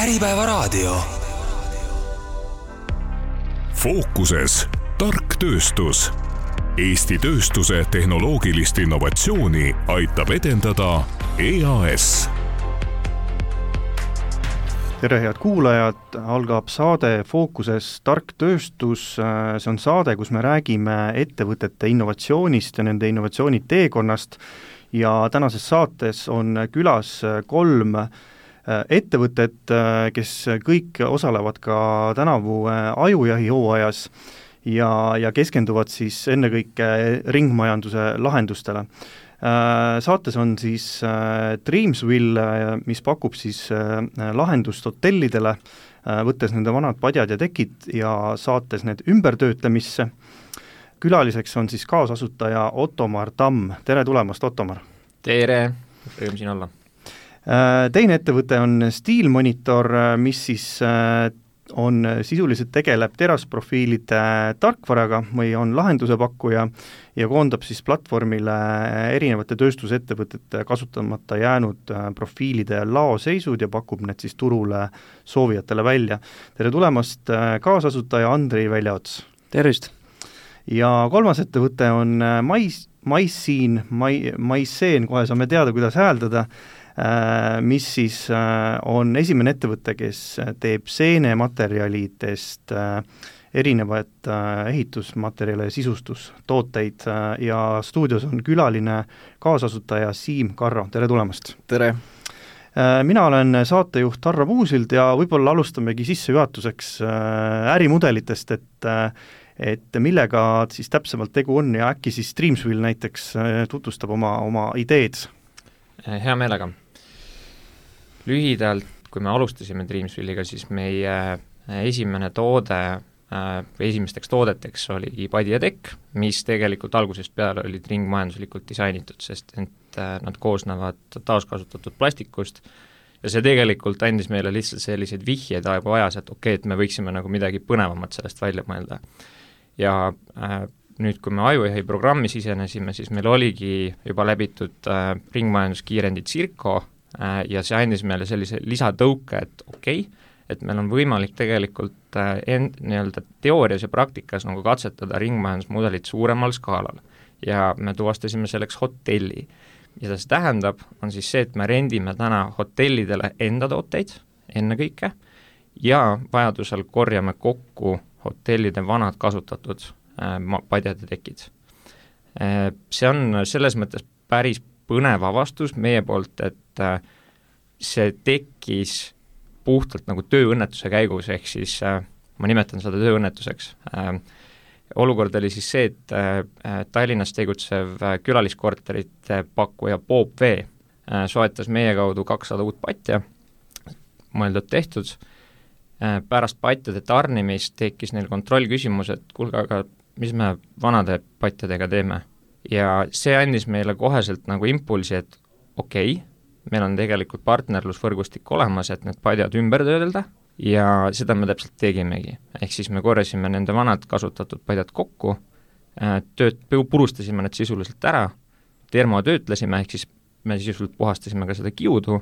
Äripäevaraadio. Fookuses tark tööstus. Eesti tööstuse tehnoloogilist innovatsiooni aitab edendada EAS. Tere head kuulajad, algab saade Fookuses tark tööstus. See on saade, kus me räägime ettevõtete innovatsioonist ja nende innovatsiooni teekonnast. Ja tänases saates on külas 3 ettevõtet, kes kõik osalevad ka tänavu ajujahi hooajas ja keskenduvad siis ennekõike ringmajanduse lahendustele. Saates on siis Dreamsville, mis pakub siis lahendust hotellidele, võttes nende vanad padjad ja tekid ja saates need ümbertöötlemisse. Külaliseks on siis kaasasutaja Ottomar Tamm. Tere tulemast, Ottomar! Tere! Rõõm siin olla! Teine ettevõte on Steelmonitor, mis siis on sisuliselt tegeleb terasprofiilide tarkvaraga või on lahenduse pakkuja ja koondab siis platvormile erinevate tööstusettevõtete kasutamata jäänud profiilide laoseisud ja pakub need siis turule soovijatele välja. Tere tulemast, kaasasutaja Andri Väljaots! Tervist! Ja kolmas ettevõte on Maisseen, kohe saame teada, kuidas hääldada, mis siis on esimene ettevõte, kes teeb seenematerjalidest erinevaid ehitusmaterjale ja sisustustooteid ja stuudios on külaline kaasasutaja Siim Karro. Tere tulemast! Tere! Mina olen saatejuht Harro Puusild ja võib-olla alustamegi sissejuhatuseks ärimudelitest, et millega siis täpsemalt tegu on ja äkki siis Dreamsville näiteks tutvustab oma ideed. Hea meelega. Lühidalt, kui me alustasime Dreamsville'iga, siis meie esimene toode, esimesteks toodeteks oli padi ja tekk, mis tegelikult algusest peale olid ringmajanduslikult disainitud, sest nad koosnevad taaskasutatud plastikust ja see tegelikult andis meile lihtsalt selliseid vihjeid aegu ajas, et et me võiksime nagu midagi põnevamat sellest välja mõelda. Ja nüüd, kui me ajujahi programmi sisenesime, siis meil oligi juba läbitud ringmajanduskiirendi Circo ja see andis meile sellise lisatõuke, et et meil on võimalik tegelikult nii-öelda teoorias ja praktikas nagu katsetada ringmajandusmudelit suuremal skaalal ja me tuvastasime selleks hotelli. Ja see tähendab, on siis see, et me rendime täna hotellidele enda tooteid ennekõike ja vajadusel korjame kokku hotellide vanad kasutatud padjad ja tekid. See on selles mõttes päris põnev avastus meie poolt, et see tekkis puhtalt nagu tööõnnetuse käigus, ehk siis ma nimetan seda tööõnnetuseks. Olukord oli siis see, et Tallinnas tegutsev külaliskorterite pakkuja Bob V soetas meie kaudu 200 uut patja, mõeldud tehtud. Pärast patjade tarnimist tekkis neil kontrollküsimus, et kuulge, aga mis me vanade patjadega teeme? Ja see andis meile koheselt nagu impulsi, et meil on tegelikult partnerlusvõrgustik olemas, et need padjad ümber töödelda ja seda me täpselt tegimegi. Ehk siis me korjasime nende vanad kasutatud padjad kokku, purustasime need sisuliselt ära, termotöötlesime, ehk siis me sisuliselt puhastasime ka seda kiudu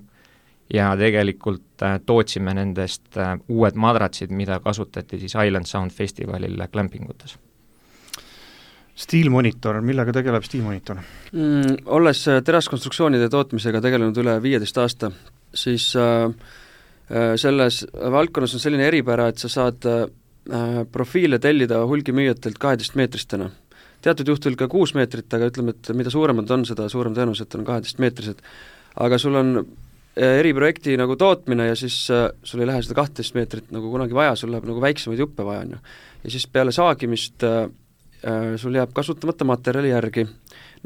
ja tegelikult tootsime nendest uued madratsid, mida kasutati siis Island Sound Festivalil glampingutes. Steelmonitor, millega tegeleb Steelmonitor? Olles teraskonstruktsioonide tootmisega tegelenud üle 15 aasta, siis selles valdkonnas on selline eripära, et sa saad profiile tellida hulgimüüjatelt 12 meetristena. Teatud juhtul ka 6 meetrit, aga ütleme, et mida suuremad on, seda suurem tõenäoliselt on 12 meetrised. Aga sul on eriprojekti nagu tootmine ja siis sul ei lähe seda 12 meetrit nagu kunagi vaja, sul läheb nagu väiksemaid juppe vaja on ju. Ja siis peale saagimist sul jääb kasutamata materjali järgi.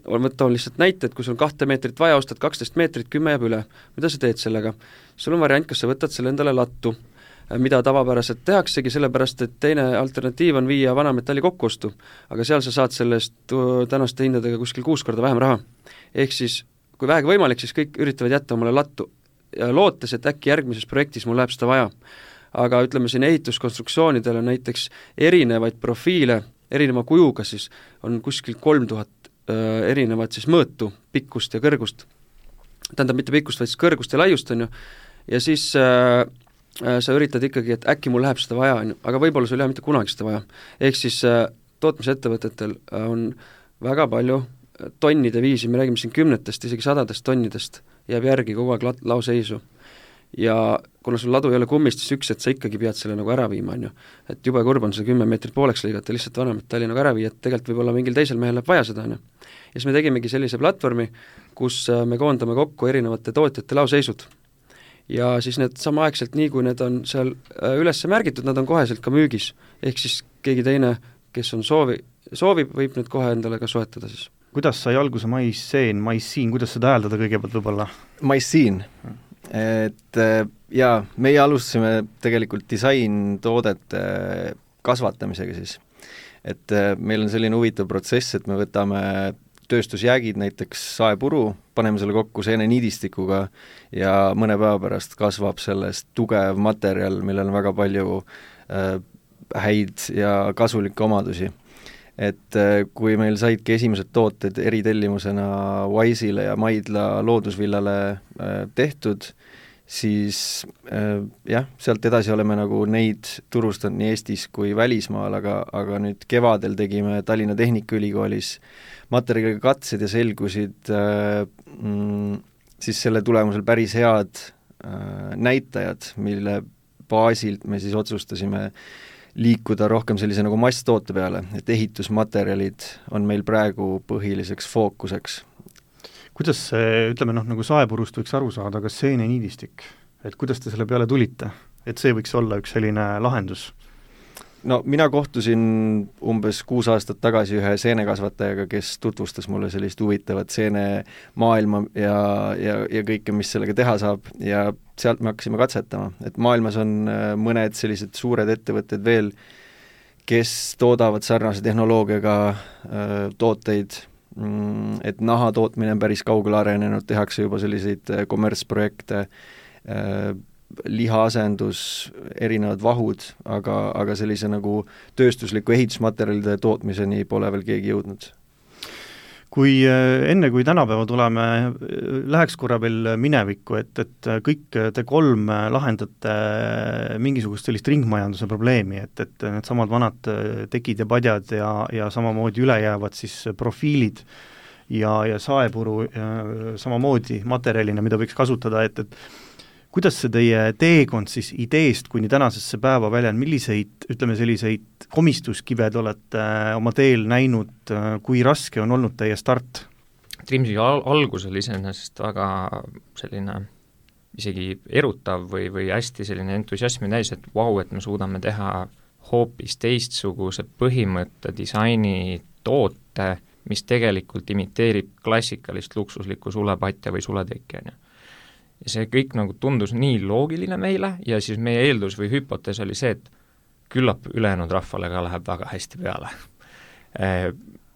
Võtta on lihtsalt näite, et kui sul on 2 meetrit vaja, ostad 12 meetrit, 10 jääb üle. Mida sa teed sellega? Sul on variant, kas sa võtad selle endale lattu, mida tavapäraselt tehaksegi, sellepärast, et teine alternatiiv on viia vana metalli kokkuostu, aga seal sa saad sellest tänaste hindadega kuskil 6 korda vähem raha. Ehk siis, kui vähegi võimalik, siis kõik üritavad jätta omale lattu ja lootes, et äkki järgmises projektis mul läheb seda vaja. Aga ütleme siin ehituskonstruktsioonidel on näiteks erinevaid profiile, erineva kujuga siis on kuskil 3000 erinevat siis mõõtu, pikkust ja kõrgust. Tähendab mitte pikkust, vaid kõrgust ja laiust on ju. Ja siis sa üritad ikkagi, et äkki mul läheb seda vaja, aga võib-olla sul ei ole mitte kunagi seda vaja. Ehk siis tootmisettevõtetel on väga palju tonnide viisi, me räägime siin 10, isegi 100 tonnidest, jääb järgi kogu aeg laoseisu. Ja kuna sul ladu ei ole kummist, siis üks, et sa ikkagi pead selle nagu ära viima, on ju. Et jube kurb on see 10 meetrit pooleks lõigata, lihtsalt vanemetalli nagu ära viia, et tegelikult võib-olla mingil teisel mehel läheb vaja seda, on ju. Ja siis me tegimegi sellise platvormi, kus me koondame kokku erinevate tootjate laoseisud. Ja siis need samaaegselt, nii kui need on seal üles märgitud, nad on koheselt ka müügis. Ehk siis keegi teine, kes on soovib, võib need kohe endale ka soetada siis. Kuidas sai alguse Maissiin, kuidas seda hääldada kõigepealt võib-olla? Maissiin, et jaa, meie alustasime tegelikult disaintoodete kasvatamisega siis. Et meil on selline huvitav protsess, et me võtame tööstusjäägid, näiteks saepuru, paneme selle kokku seeneniidistikuga ja mõne päeva pärast kasvab sellest tugev materjal, millel on väga palju häid ja kasulikke omadusi. Et kui meil saidki esimesed tooted eritellimusena Wise'ile ja Maidla loodusvillale tehtud, siis jah, sealt edasi oleme nagu neid turustanud nii Eestis kui välismaal, aga nüüd kevadel tegime Tallinna Tehnikaülikoolis materjaliga katsed ja selgusid siis selle tulemusel päris head näitajad, mille baasilt me siis otsustasime liikuda rohkem sellise nagu masstoote peale, et ehitusmaterjalid on meil praegu põhiliseks fookuseks. Kuidas see, ütleme nagu saepurust võiks aru saada, kas seeneniidistik, et kuidas te selle peale tulite, et see võiks olla üks selline lahendus? No mina kohtusin umbes 6 aastat tagasi ühe seenekasvatajaga, kes tutvustas mulle sellist huvitavat seenemaailma ja kõike, mis sellega teha saab, ja sealt me hakkasime katsetama, et maailmas on mõned sellised suured ettevõtted veel, kes toodavad sarnase tehnoloogiaga tooteid, et naha tootmine on päris kaugele arenenud, tehakse juba selliseid kommertsprojekte, lihaasendus, erinevad vahud, aga sellise nagu tööstusliku ehitusmaterjalide tootmiseni pole veel keegi jõudnud. Kui enne kui tänapäeva tuleme, läheks korra veel minevikku, et kõik te 3 lahendate mingisugust sellist ringmajanduse probleemi, et need samad vanad tekid ja padjad ja samamoodi üle jäävad siis profiilid ja saepuru samamoodi materjalina, mida võiks kasutada, et kuidas see teie teekond siis ideest kuni tänasesse päeva välja on, milliseid, ütleme selliseid komistuskive te olete oma teel näinud, kui raske on olnud teie start? Dreamsi algus oli iseenesest väga selline isegi erutav või hästi selline entusiasmi täis, et vau, et me suudame teha hoopis teistsuguse põhimõtte disaini toote, mis tegelikult imiteerib klassikalist luksuslikku sulepatja või suletekki, on ju. Ja see kõik nagu tundus nii loogiline meile ja siis meie eeldus või hüpotees oli see, et küllap ülejäänud rahvale ka läheb väga hästi peale.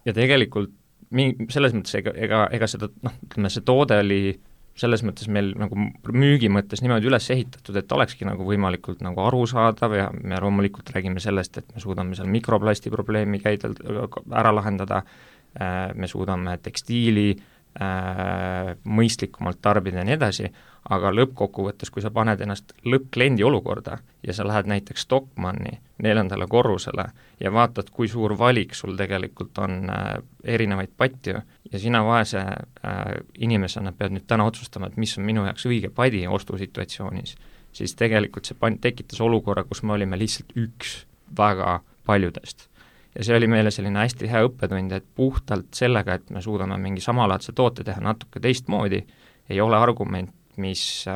Ja tegelikult selles mõttes ega seda, ütleme, see toode oli selles mõttes meil nagu müügi mõttes niimoodi üles ehitatud, et olekski nagu võimalikult nagu arusaadav ja me loomulikult räägime sellest, et me suudame seal mikroplasti probleemi ära lahendada, me suudame tekstiili mõistlikumalt tarbida ja nii edasi, aga lõppkokkuvõttes, kui sa paned ennast lõppkliendi olukorda ja sa lähed näiteks Stockmanni 4. korrusele ja vaatad, kui suur valik sul tegelikult on erinevaid patju ja sina vaese inimesena pead nüüd täna otsustama, et mis on minu jaoks õige padi ostusituatsioonis, siis tegelikult see tekitas olukorra, kus me olime lihtsalt üks väga paljudest. Ja see oli meile selline hästi hea õppetund, et puhtalt sellega, et me suudame mingi samalaadse toote teha natuke teistmoodi, ei ole argument, mis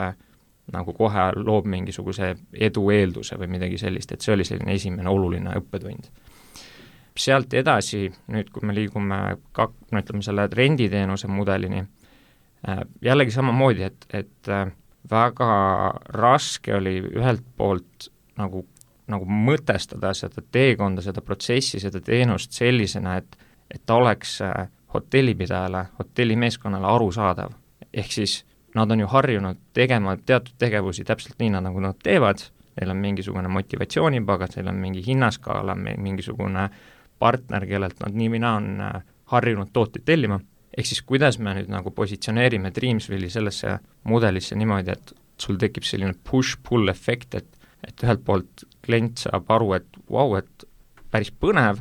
nagu kohe loob mingisuguse edu eelduse või midagi sellist, et see oli selline esimene oluline õppetund. Sealt edasi, nüüd kui me liigume ütleme selle renditeenuse mudelini, jällegi samamoodi, et väga raske oli ühelt poolt nagu mõtestada seda teekonda, seda protsessi, seda teenust sellisena, et ta oleks hotellipidajale, hotellimeeskonnale arusaadav. Ehk siis nad on ju harjunud tegema teatud tegevusi täpselt nii, nagu nad teevad, neil on mingisugune motivatsioonipagas, neil on mingi hinnaskaala, mingisugune partner, kellelt nad nii mina on harjunud tooteid tellima. Ehk siis kuidas me nüüd nagu positsioneerime Dreamsvilli sellesse mudelisse niimoodi, et sul tekib selline push-pull efekt, et ühelt poolt klient saab aru, et vau, et päris põnev,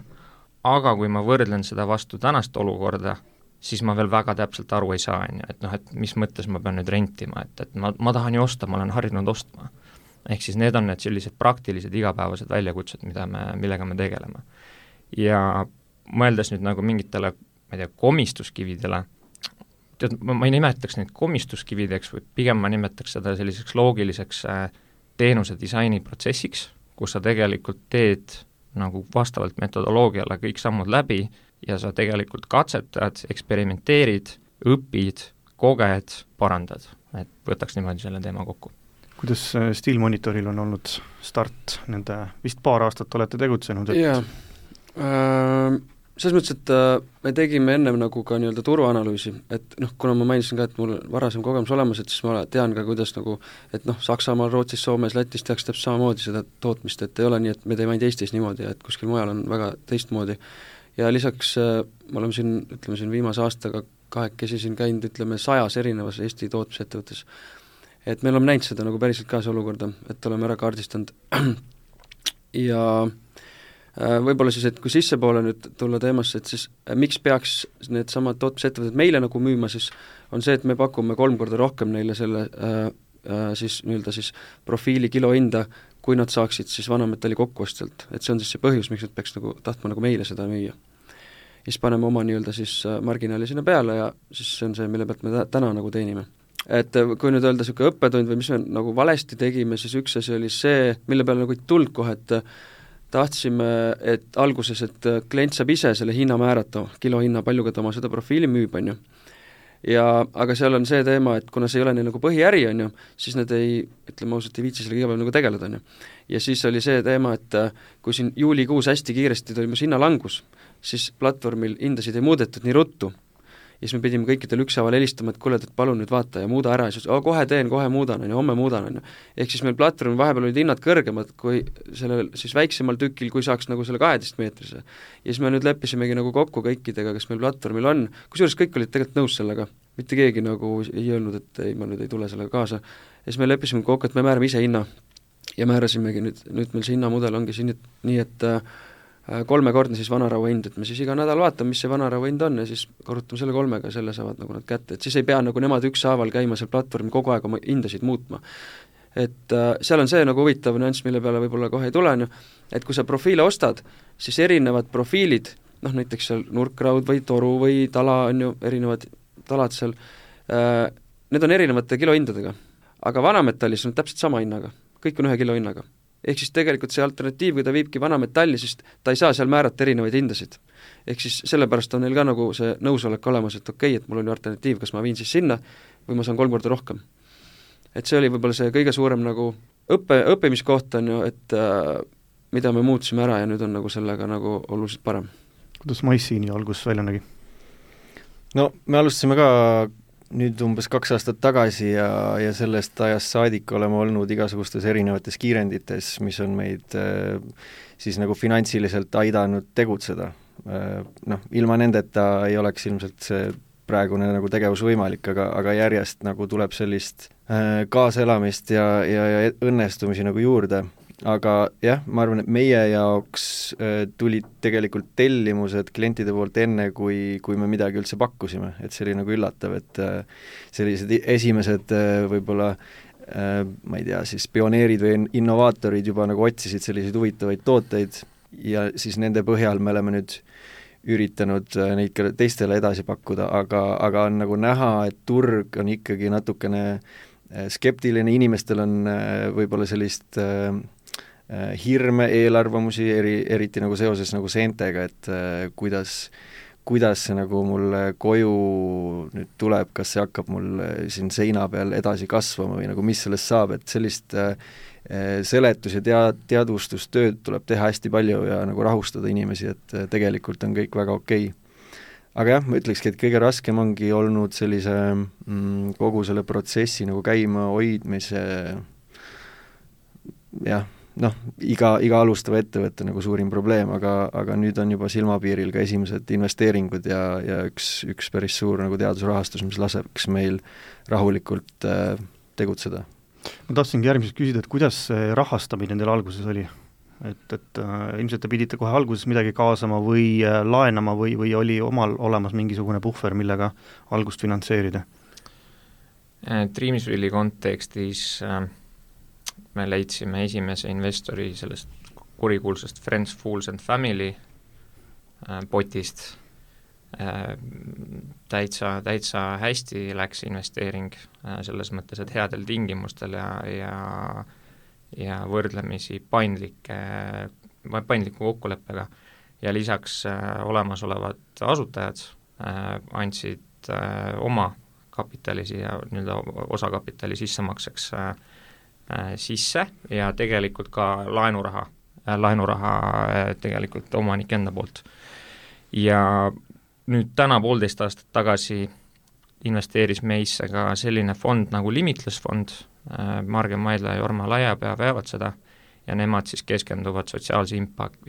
aga kui ma võrdlen seda vastu tänast olukorda, siis ma veel väga täpselt aru ei saa, et et mis mõttes ma pean nüüd rentima, et ma tahan ju osta, ma olen harjunud ostma. Ehk siis need on need sellised praktilised igapäevased väljakutsed, millega me tegeleme. Ja mõeldes nüüd nagu mingitele, ma ei tea, komistuskividele, ma ei nimetaks neid komistuskivideks, või pigem ma nimetaks seda selliseks loogiliseks teenuse disainiprotsessiks, kus sa tegelikult teed nagu vastavalt metodoloogiale kõik sammud läbi ja sa tegelikult katsetad, eksperimenteerid, õpid, koged, parandad. Et võtaks niimoodi selle teema kokku. Kuidas Steel Monitoril on olnud start, nende vist paar aastat olete tegutsenud? Jaa, selles mõttes, et me tegime ennem nagu ka nii-öelda turuanalüüsi, et kuna ma mainisin ka, et mul varasem kogemus olemas, et siis ma tean ka, kuidas nagu, et Saksamaal, Rootsis, Soomes, Lätis tehakse täpselt samamoodi seda tootmist, et ei ole nii, et me teeme ainult Eestis niimoodi, et kuskil mujal on väga teistmoodi. Ja lisaks me oleme siin viimase aastaga kahekesi siin käinud, 100 erinevas Eesti tootmisettevõttes. Et me oleme näinud seda nagu päriselt ka see olukorda, et oleme ära kaardistanud ja võib-olla siis, et kui sissepoole nüüd tulla teemasse, et siis miks peaks need samad tootmisettevõtted meile nagu müüma, siis on see, et me pakume 3 korda rohkem neile selle siis nii-öelda siis profiili kilohinda, kui nad saaksid siis vanametalli kokkuostjalt, et see on siis see põhjus, miks nad peaks nagu tahtma nagu meile seda müüa. Ja siis paneme oma nii-öelda siis marginaali sinna peale ja siis see on see, mille pealt me täna nagu teenime. Et kui nüüd öelda niisugune õppetund või mis me nagu valesti tegime, siis üks asi oli see, mille peale nagu ei tulnud kohe, et tahtsime, et alguses, et klient saab ise selle hinna määrata, kilohinna, paljuga ta oma seda profiili müüb, on ju. Ja, aga seal on see teema, et kuna see ei ole neil nagu põhiäri, on ju, siis nad ei, ütleme ausalt, ei viitsi sellega iga päev nagu tegeleda, on ju. Ja siis oli see teema, et kui siin juulikuus hästi kiiresti toimus hinnalangus, siis platvormil hindasid ei muudetud nii ruttu. Ja siis me pidime kõikidel ükshaaval helistama, et kuule, et palun nüüd vaata ja muuda ära ja siis kohe teen, kohe muudan, homme muudan, on ju. Ehk siis meil platvormil vahepeal olid hinnad kõrgemad kui sellel siis väiksemal tükil, kui saaks nagu selle 12 meetrise. Ja siis me nüüd leppisimegi nagu kokku kõikidega, kes meil platvormil on, kusjuures kõik olid tegelikult nõus sellega, mitte keegi nagu ei öelnud, et ei, ma nüüd ei tule sellega kaasa. Ja siis me leppisime kokku, et me määrame ise hinna ja määrasimegi nüüd meil see hinnamudel ongi siin nii, et 3-kordne siis vanaraua hind, et me siis iga nädal vaatame, mis see vanaraua hind on ja siis korrutame selle 3-ga ja selle saavad nagu nad kätte, et siis ei pea nagu nemad ükshaaval käima seal platvormi kogu aeg oma hindasid muutma. Et seal on see nagu huvitav nüanss, mille peale võib-olla kohe ei tule, et kui sa profiile ostad, siis erinevad profiilid, näiteks seal nurkraud või toru või tala on ju, erinevad talad seal, need on erinevate kilohindadega, aga vanametallis on täpselt sama hinnaga, kõik on 1 kilohinnaga. Ehk siis tegelikult see alternatiiv, kui ta viibki vanametalli, siis ta ei saa seal määrata erinevaid hindasid. Ehk siis sellepärast on neil ka nagu see nõusolek olemas, et okei, et mul on ju alternatiiv, kas ma viin siis sinna või ma saan 3 korda rohkem. Et see oli võib-olla see kõige suurem nagu õppimiskoht on ju, et mida me muutsime ära ja nüüd on nagu sellega nagu oluliselt parem. Kuidas Maisiini algus välja nägi? No me alustasime ka nüüd umbes 2 aastat tagasi ja sellest ajast saadik oleme olnud igasugustes erinevates kiirendites, mis on meid siis nagu finantsiliselt aidanud tegutseda. Ilma nendeta ei oleks ilmselt see praegune nagu tegevus võimalik, aga järjest nagu tuleb sellist kaaselamist ja õnnestumisi nagu juurde. Aga jah, ma arvan, et meie jaoks tulid tegelikult tellimused klientide poolt enne, kui me midagi üldse pakkusime, et see oli nagu üllatav, et sellised esimesed võib-olla ma ei tea, siis pioneerid või innovaatorid juba nagu otsisid selliseid huvitavaid tooteid ja siis nende põhjal me oleme nüüd üritanud neid ka teistele edasi pakkuda, aga on nagu näha, et turg on ikkagi natukene skeptiline, inimestel on võib-olla sellist hirme, eelarvamusi, eriti nagu seoses nagu seentega, et kuidas see nagu mulle koju nüüd tuleb, kas see hakkab mul siin seina peal edasi kasvama või nagu mis sellest saab, et sellist seletus- ja teadvustustööd tuleb teha hästi palju ja nagu rahustada inimesi, et tegelikult on kõik väga okei. Aga jah, ma ütlekski, et kõige raskem ongi olnud sellise kogu selle protsessi nagu käima hoidmise jah, iga alustava ettevõtte nagu suurim probleem, aga nüüd on juba silmapiiril ka esimesed investeeringud ja üks päris suur nagu teadusrahastus, mis laseks meil rahulikult tegutseda. Ma tahtsingi järgmiseks küsida, et kuidas see rahastamine teil alguses oli? Et ilmselt te pidite kohe alguses midagi kaasama või laenama või oli omal olemas mingisugune puhver, millega algust finantseerida? Dreamsvilli kontekstis me leidsime esimese investori sellest kurikuulsast Friends, Fools and Family potist. Täitsa hästi läks investeering selles mõttes, et headel tingimustel ja võrdlemisi paindliku kokkuleppega ja lisaks olemasolevad asutajad andsid oma kapitali siia nii-öelda osakapitali sissemakseks sisse ja tegelikult ka laenuraha tegelikult omanik enda poolt. Ja nüüd täna 1,5 aastat tagasi investeeris meisse ka selline fond nagu Limitless fond, Margen Maidla ja Jorma Laiapea veavad seda ja nemad siis keskenduvad sotsiaalse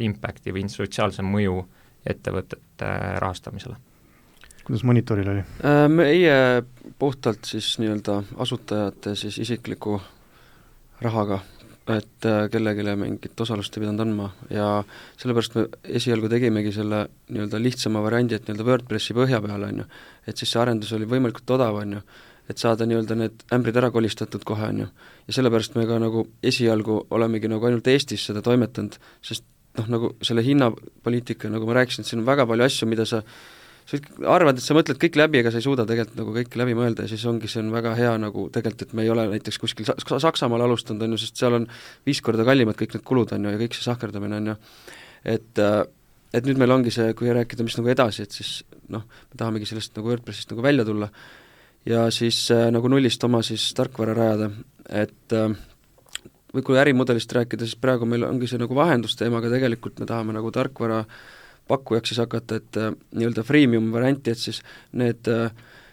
impacti või sotsiaalse mõju ettevõtete rahastamisele. Kuidas Monitoril oli? Meie puhtalt siis nii-öelda asutajate siis isikliku rahaga, et kellegile mingit osalust ei pidanud andma ja sellepärast me esialgu tegimegi selle nii-öelda lihtsama variandi, et nii-öelda WordPressi põhja peale, on ju, et siis see arendus oli võimalikult odav, on ju, et saada nii-öelda need ämbrid ära kolistatud kohe, on ju, ja sellepärast me ka nagu esialgu olemegi nagu ainult Eestis seda toimetanud, sest nagu selle hinnapoliitika, nagu ma rääkisin, et siin on väga palju asju, mida sa arvad, et sa mõtled kõik läbi, ega sa ei suuda tegelikult nagu kõike läbi mõelda ja siis ongi, see on väga hea nagu tegelikult, et me ei ole näiteks kuskil Saksamaal alustanud, on ju, sest seal on 5 korda kallimad kõik need kulud, on ju, ja kõik see sahkerdamine, on ju, et nüüd meil ongi see, kui rääkida, mis nagu edasi, et siis me tahamegi sellest nagu WordPressist nagu välja tulla ja siis nagu nullist oma siis tarkvara rajada, et või kui ärimudelist rääkida, siis praegu meil ongi see nagu vahendusteemaga, tegelikult me tahame nagu tarkvara pakkujaks siis hakata, et nii-öelda freemium varianti, et siis need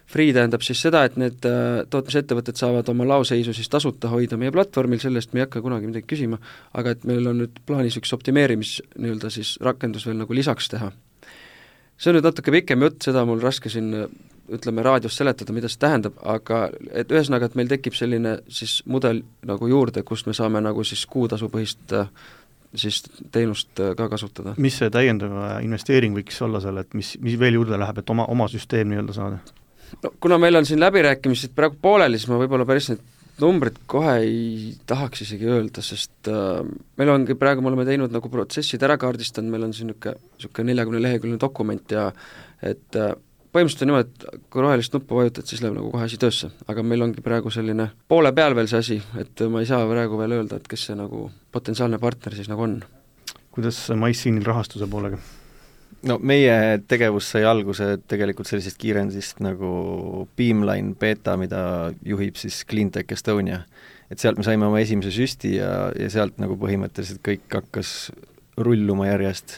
free tähendab siis seda, et need tootmisettevõtted saavad oma laoseisu siis tasuta hoida meie platvormil, sellest me ei hakka kunagi midagi küsima, aga et meil on nüüd plaanis üks optimeerimis nii-öelda siis rakendus veel nagu lisaks teha. See on nüüd natuke pikem jutt, seda mul raske siin ütleme raadios seletada, mida see tähendab, aga et ühesõnaga, et meil tekib selline siis mudel nagu juurde, kus me saame nagu siis kuutasupõhist siis teenust ka kasutada. Mis see täiendav investeering võiks olla seal, et mis veel juurde läheb, et oma süsteem nii-öelda saada? No, kuna meil on siin läbirääkimised praegu pooleli, siis ma võib-olla päris need numbrid kohe ei tahaks isegi öelda, sest meil ongi praegu, me oleme teinud nagu protsessid ära kaardistanud, meil on siin niisugune 40-leheküljeline dokument ja et põhimõtteliselt on niimoodi, et kui rohelist nuppu vajutad, siis läheb nagu kohe asi töösse, aga meil ongi praegu selline poole peal veel see asi, et ma ei saa praegu veel öelda, et kes see nagu potentsiaalne partner siis nagu on. Kuidas MyScene'il rahastuse poolega? No meie tegevus sai alguse tegelikult sellisest kiirendist nagu Beamline beta, mida juhib siis Cleantech Estonia. Et sealt me saime oma esimese süsti ja sealt nagu põhimõtteliselt kõik hakkas rulluma järjest.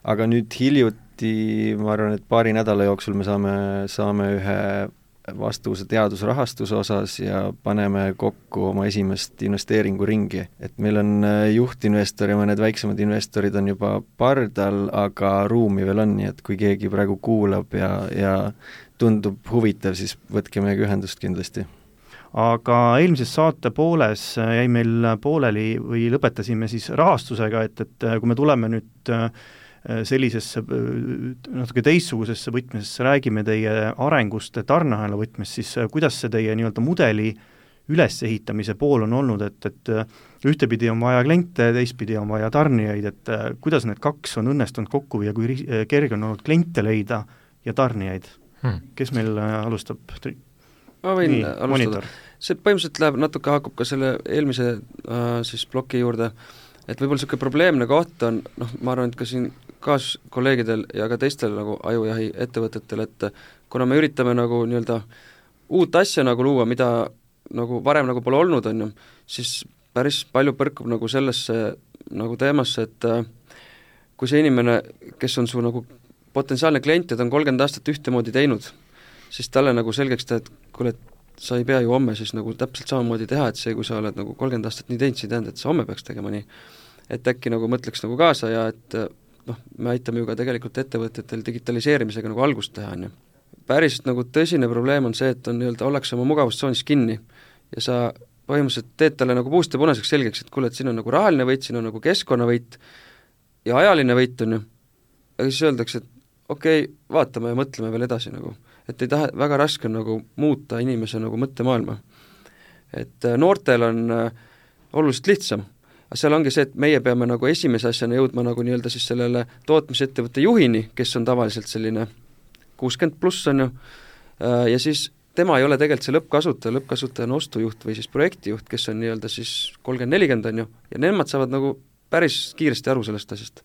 Aga nüüd hiljuti, ma arvan, et paari nädala jooksul me saame ühe vastuse teadusrahastuse osas ja paneme kokku oma esimest investeeringuringi. Et meil on juhtinvestor ja mõned väiksemad investorid on juba pardal, aga ruumi veel on, nii et kui keegi praegu kuulab ja tundub huvitav, siis võtke meiega ühendust kindlasti. Aga eelmises saate pooles jäi meil pooleli või lõpetasime siis rahastusega, et kui me tuleme nüüd sellisesse natuke teistsugusesse võtmesesse, räägime teie arengust tarneahela võtmes, siis kuidas see teie nii-öelda mudeli ülesehitamise pool on olnud, et ühtepidi on vaja kliente, teistpidi on vaja tarnijaid, et kuidas need kaks on õnnestunud kokku ja kui kerge on olnud kliente leida ja tarnijaid? Kes meil alustab? Ma võin alustada. See põhimõtteliselt läheb, natuke haakub ka selle eelmise siis ploki juurde, et võib-olla niisugune probleemne koht on, ma arvan, et ka siin kaaskolleegidel ja ka teistel nagu ajujahi ettevõtetel, et kuna me üritame nagu nii-öelda uut asja nagu luua, mida nagu varem nagu pole olnud, on ju, siis päris palju põrkub nagu sellesse nagu teemasse, et kui see inimene, kes on su nagu potentsiaalne klient ja ta on 30 aastat ühtemoodi teinud, siis talle nagu selgeks teha, et kuule, sa ei pea ju homme siis nagu täpselt samamoodi teha, et see, kui sa oled nagu 30 aastat nii teinud, see ei tähenda, et sa homme peaks tegema nii. Et äkki nagu mõtleks nagu kaasa ja et me aitame ju ka tegelikult ettevõtetel digitaliseerimisega nagu algust teha, on ju. Päris nagu tõsine probleem on see, et on nii-öelda ollakse oma mugavustsoonis kinni ja sa põhimõtteliselt teed talle nagu puust ja punaseks selgeks, et kuule, et siin on nagu rahaline võit, siin on nagu keskkonnavõit ja ajaline võit on ju, aga siis öeldakse, et okei, vaatame ja mõtleme veel edasi nagu, et ei taha, väga raske on nagu muuta inimese nagu mõttemaailma. Et noortel on oluliselt lihtsam, aga seal ongi see, et meie peame nagu esimese asjana jõudma nagu nii-öelda siis sellele tootmisettevõtte juhini, kes on tavaliselt selline 60 pluss on ju, ja siis tema ei ole tegelikult see lõppkasutaja on ostujuht või siis projektijuht, kes on nii-öelda siis 30-40 on ju, ja nemad saavad nagu päris kiiresti aru sellest asjast.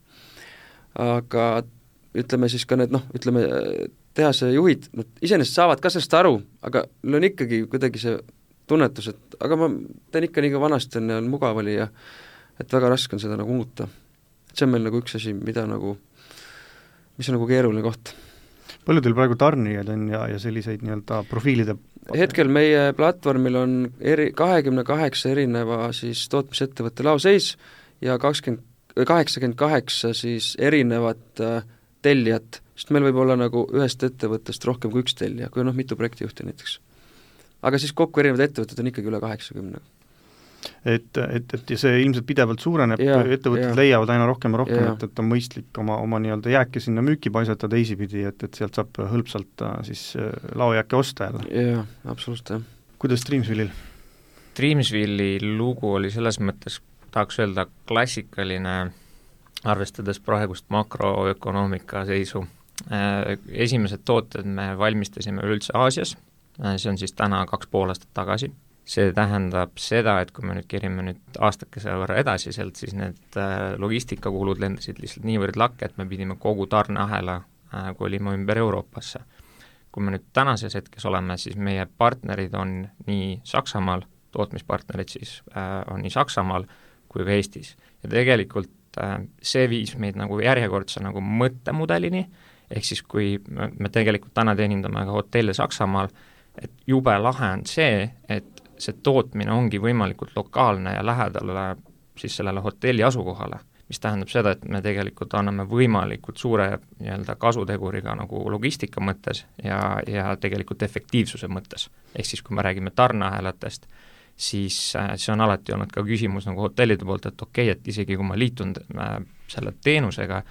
Aga ütleme siis ka need, ütleme tehase juhid, nad iseenesest saavad ka sellest aru, aga neil on ikkagi kuidagi see tunnetus, et aga ma teen ikka nii vanasti on mugav oli ja et väga raske on seda nagu muuta. Et see on meil nagu üks asi, mida nagu, mis on nagu keeruline koht. Palju teil praegu tarnijaid on ja selliseid nii-öelda profiilide? Hetkel meie platvormil on 28 erineva siis tootmisettevõtte laoseis ja 88 siis erinevat tellijat, sest meil võib olla nagu ühest ettevõttest rohkem kui üks tellija, kui on mitu projektijuhti näiteks. Aga siis kokku erinevad ettevõtted on ikkagi üle 80. Et see ilmselt pidevalt suureneb, ettevõtted leiavad aina rohkem ja rohkem, et on mõistlik oma nii-öelda jääke sinna müüki paisata teisipidi, et sealt saab hõlpsalt siis laojääke osta jälle. Jaa, absoluutselt, jah. Kuidas Dreamsville'il? Dreamsville'i lugu oli selles mõttes, tahaks öelda, klassikaline, arvestades praegust makroökonoomika seisu. Esimesed tooted me valmistasime üldse Aasias, see on siis täna 2,5 aastat tagasi. See tähendab seda, et kui me nüüd kerime nüüd aastakese võrra edasi sealt, siis need logistikakulud lendasid lihtsalt niivõrd lakke, et me pidime kogu tarneahela kolima ümber Euroopasse. Kui me nüüd tänases hetkes oleme, siis meie partnerid on nii Saksamaal, tootmispartnerid siis on nii Saksamaal kui ka Eestis. Ja tegelikult see viis meid nagu järjekordse nagu mõttemudelini, ehk siis kui me tegelikult täna teenindame ka hotelle Saksamaal, et jube lahe on see, et see tootmine ongi võimalikult lokaalne ja lähedal siis sellele hotelli asukohale, mis tähendab seda, et me tegelikult anname võimalikult suure nii-öelda kasuteguriga nagu logistika mõttes ja tegelikult efektiivsuse mõttes. Ehk siis, kui me räägime tarneahelatest, siis see on alati olnud ka küsimus nagu hotellide poolt, et okei, et isegi kui ma liitun selle teenusega,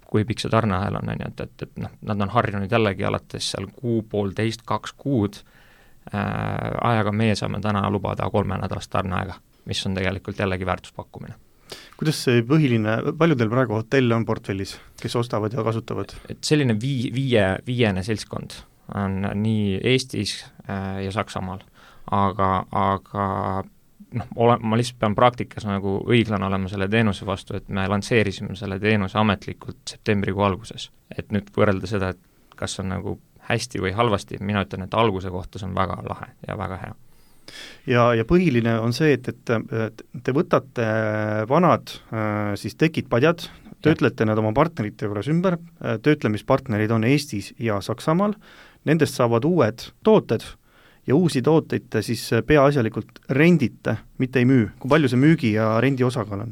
kui pikk see tarneahel on, et nad on harjunud jällegi alates seal 1,5–2 kuud, ajaga meie saame täna lubada 3 nädalast tarneaega, mis on tegelikult jällegi väärtuspakkumine. Kuidas see palju teil praegu hotelle on portfellis, kes ostavad ja kasutavad? Et selline viiene seltskond on nii Eestis ja Saksamaal, aga ma lihtsalt pean praktikas nagu õiglane olema selle teenuse vastu, et me lansseerisime selle teenuse ametlikult septembrikuu alguses. Et nüüd võrrelda seda, et kas on nagu hästi või halvasti, mina ütlen, et alguse kohta see on väga lahe ja väga hea. Ja põhiline on see, et te võtate vanad siis tekid, padjad, töötlete nad oma partnerite juures ümber, töötlemispartnerid on Eestis ja Saksamaal, nendest saavad uued tooted ja uusi tooteid siis peaasjalikult rendite, mitte ei müü. Kui palju see müügi ja rendi osakaal on?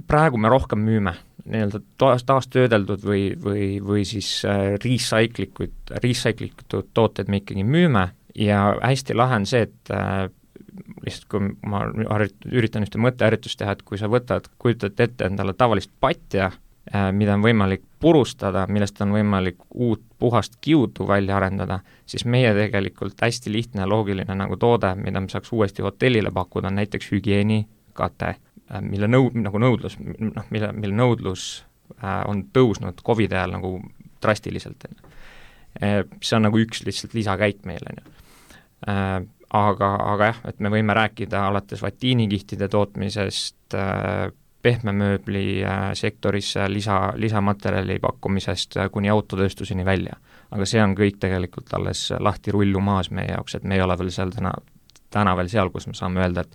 Praegu me rohkem müüme, nii-öelda taastöödeldud või siis recyclitud tooted me ikkagi müüme ja hästi lahe on see, et lihtsalt kui ma üritan ühte mõtteharjutust teha, et kui sa kujutad ette endale tavalist patja, mida on võimalik purustada, millest on võimalik uut puhast kiudu välja arendada, siis meie tegelikult hästi lihtne ja loogiline nagu toode, mida me saaks uuesti hotellile pakkuda, on näiteks hügieenikate, mille nõudlus on tõusnud COVID ajal nagu drastiliselt. See on nagu üks lihtsalt lisakäik meile. Aga jah, et me võime rääkida alates vatiinikihtide tootmisest, pehmemööbli sektorisse lisamaterjali pakkumisest kuni autotööstuseni välja. Aga see on kõik tegelikult alles lahti rullumaas meie jaoks, et me ei ole veel seal täna veel seal, kus me saame öelda, et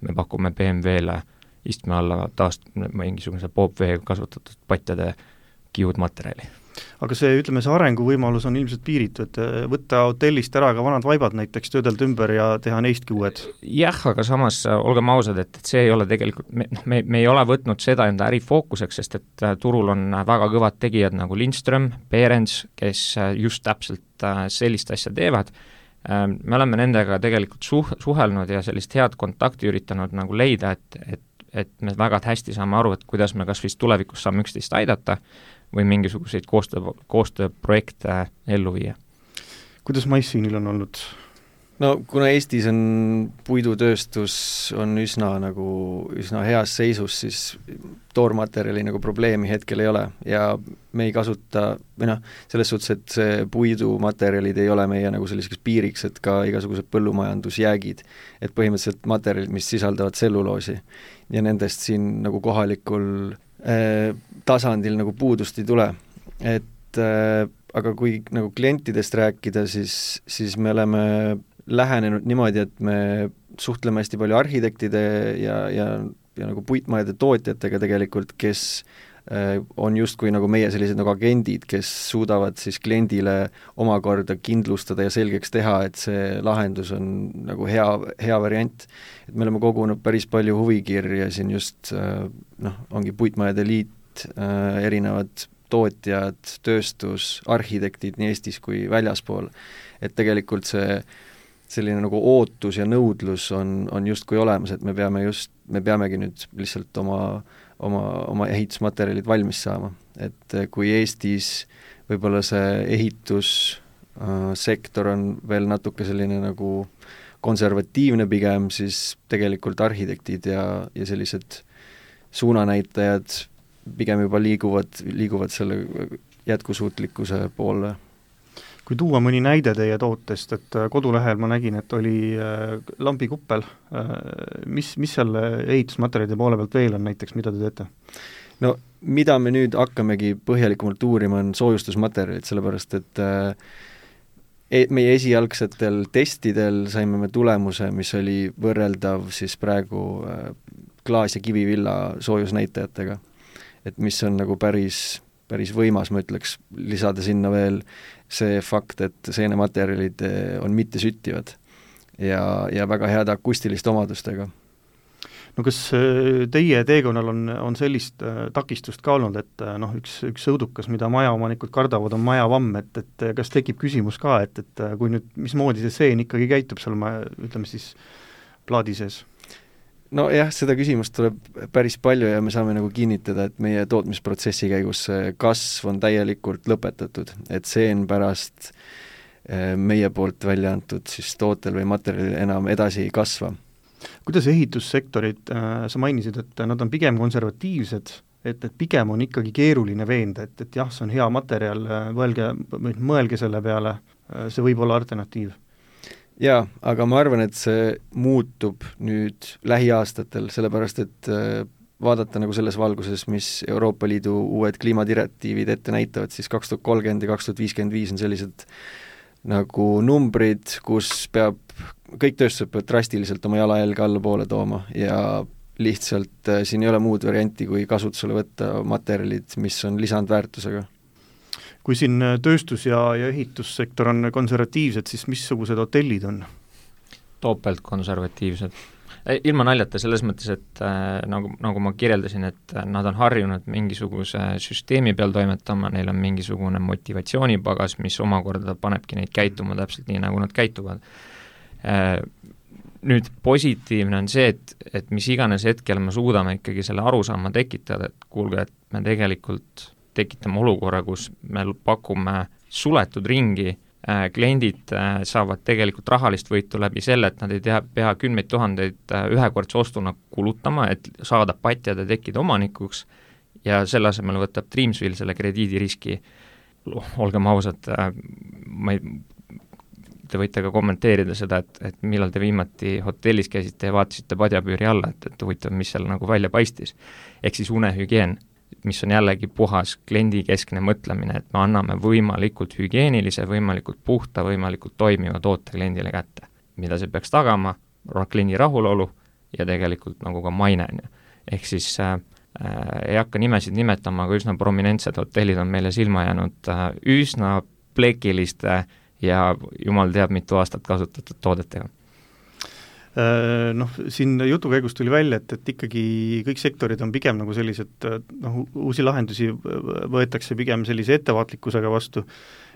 me pakume BMW-le istme alla mingisuguse popvee kasutatud patjade kiudmaterjali. Aga see arenguvõimalus on ilmselt piiritu, et võtta hotellist ära ka vanad vaibad näiteks, töödelda ümber ja teha neistki uued? Jah, aga samas olgem ausad, et see ei ole tegelikult, me ei ole võtnud seda enda ärifookuseks, sest et turul on väga kõvad tegijad nagu Lindström, Behrens, kes just täpselt sellist asja teevad. Me oleme nendega tegelikult suhelnud ja sellist head kontakti üritanud nagu leida, et me väga hästi saame aru, et kuidas me kas vist tulevikus saame üksteist aidata või mingisuguseid koostööprojekte ellu viia. Kuidas MyScene'il on olnud? No kuna Eestis on puidutööstus on üsna heas seisus, siis toormaterjali nagu probleemi hetkel ei ole ja me ei kasuta, selles suhtes, et see puidumaterjalid ei ole meie nagu selliseks piiriks, et ka igasugused põllumajandusjäägid, et põhimõtteliselt materjalid, mis sisaldavad tselluloosi ja nendest siin nagu kohalikul tasandil nagu puudust ei tule, et aga kui nagu klientidest rääkida, siis me oleme lähenenud niimoodi, et me suhtleme hästi palju arhitektide ja nagu puitmajade tootjatega tegelikult, kes on justkui nagu meie sellised nagu agendid, kes suudavad siis kliendile omakorda kindlustada ja selgeks teha, et see lahendus on nagu hea variant. Et me oleme kogunud päris palju huvikirja siin just, ongi puitmajade liit, erinevad tootjad, tööstus, arhitektid nii Eestis kui väljaspool, et tegelikult see selline nagu ootus ja nõudlus on justkui olemas, et me peamegi nüüd lihtsalt oma ehitusmaterjalid valmis saama. Et kui Eestis võib-olla see ehitussektor on veel natuke selline nagu konservatiivne pigem, siis tegelikult arhitektid ja sellised suunanäitajad pigem juba liiguvad selle jätkusuutlikkuse poole. Kui tuua mõni näide teie tootest, et kodulehel ma nägin, et oli lambikuppel, mis seal ehitusmaterjalide poole pealt veel on näiteks, mida te teete? No mida me nüüd hakkamegi põhjalikumalt uurima, on soojustusmaterjalid, sellepärast et meie esialgsetel testidel saime me tulemuse, mis oli võrreldav siis praegu klaas- ja kivivilla soojusnäitajatega, et mis on nagu päris võimas, ma ütleks, lisada sinna veel see fakt, et seenematerjalid on mittesüttivad ja väga head akustiliste omadustega. No kas teie teekonnal on sellist takistust ka olnud, et üks õudukas, mida majaomanikud kardavad, on majavamm, et kas tekib küsimus ka, et kui nüüd, mismoodi see seen ikkagi käitub seal, ütleme siis, plaadi sees? No jah, seda küsimust tuleb päris palju ja me saame nagu kinnitada, et meie tootmisprotsessi käigus kasv on täielikult lõpetatud, et seen pärast meie poolt välja antud siis tootel või materjalil enam edasi ei kasva. Kuidas ehitussektorid, sa mainisid, et nad on pigem konservatiivsed, et pigem on ikkagi keeruline veenda, et jah, see on hea materjal, mõelge selle peale, see võib olla alternatiiv. Jaa, aga ma arvan, et see muutub nüüd lähiaastatel, sellepärast et vaadata nagu selles valguses, mis Euroopa Liidu uued kliimadirektiivid ette näitavad, siis 2030 ja 2055 on sellised nagu numbrid, kus kõik tööstused peavad drastiliselt oma jalajälge allapoole tooma ja lihtsalt siin ei ole muud varianti, kui kasutusele võtta materjalid, mis on lisandväärtusega. Kui siin tööstus- ja ehitussektor on konservatiivsed, siis missugused hotellid on? Topelt konservatiivsed. Ilma naljata selles mõttes, et nagu ma kirjeldasin, et nad on harjunud mingisuguse süsteemi peal toimetama, neil on mingisugune motivatsioonipagas, mis omakorda panebki neid käituma täpselt nii, nagu nad käituvad. Nüüd positiivne on see, et mis iganes hetkel me suudame ikkagi selle arusaama tekitada, et kuulge, et me tegelikult tekitame olukorra, kus me pakume suletud ringi, kliendid saavad tegelikult rahalist võitu läbi selle, et nad ei pea 10 000 ühekordse ostuna kulutama, et saada patjade tekkida omanikuks ja selle asemel võtab Dreamsville selle krediidiriski. Olgem ausad, te võite ka kommenteerida seda, et millal te viimati hotellis käisite ja vaatasite padjapüüri alla, et huvitav, mis seal nagu välja paistis. Ehk siis unehügieen, mis on jällegi puhas kliendikeskne mõtlemine, et me anname võimalikult hügieenilise, võimalikult puhta, võimalikult toimiva toote kliendile kätte. Mida see peaks tagama? Kliendi rahulolu ja tegelikult nagu ka maine. Ehk siis ei hakka nimesid nimetama, aga üsna prominentsed hotellid on meile silma jäänud üsna plekiliste ja jumal teab mitu aastat kasutatud toodetega. Siin jutu käigus tuli välja, et ikkagi kõik sektorid on pigem nagu sellised, uusi lahendusi võetakse pigem sellise ettevaatlikkusega vastu,